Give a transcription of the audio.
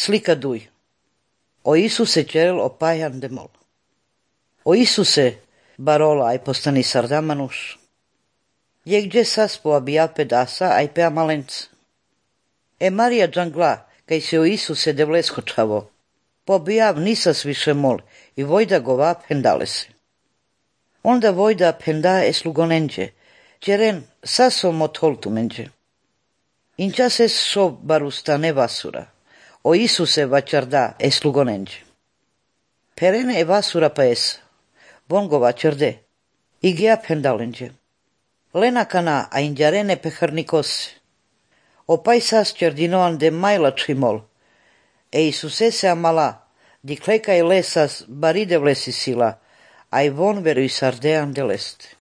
slika duj. O Isuse cerel opajan demol. O Isuse barola ai postani sardamanus. Je gdje saspo abia pedasa ai pea malenc. E Marija džangla, kaj se o Isuse devleskočavo. Po abijav nisas više mol i vojda gova pendalese. Onda vojda penda eslugonenđe, čeren saso motholtu menđe. Inčas es so barusta nevasura, o Isuse vačarda eslugonenđe. Perene e vasura pa esa, bongo vačarde, i gija pendalenđe. Lena kana a inđarene peharnikose. O paisas čerdinoan de majlački mol, e Isuse se amala, di klekaj lesas baride vlesi sila, ai von veru i sardean de leste.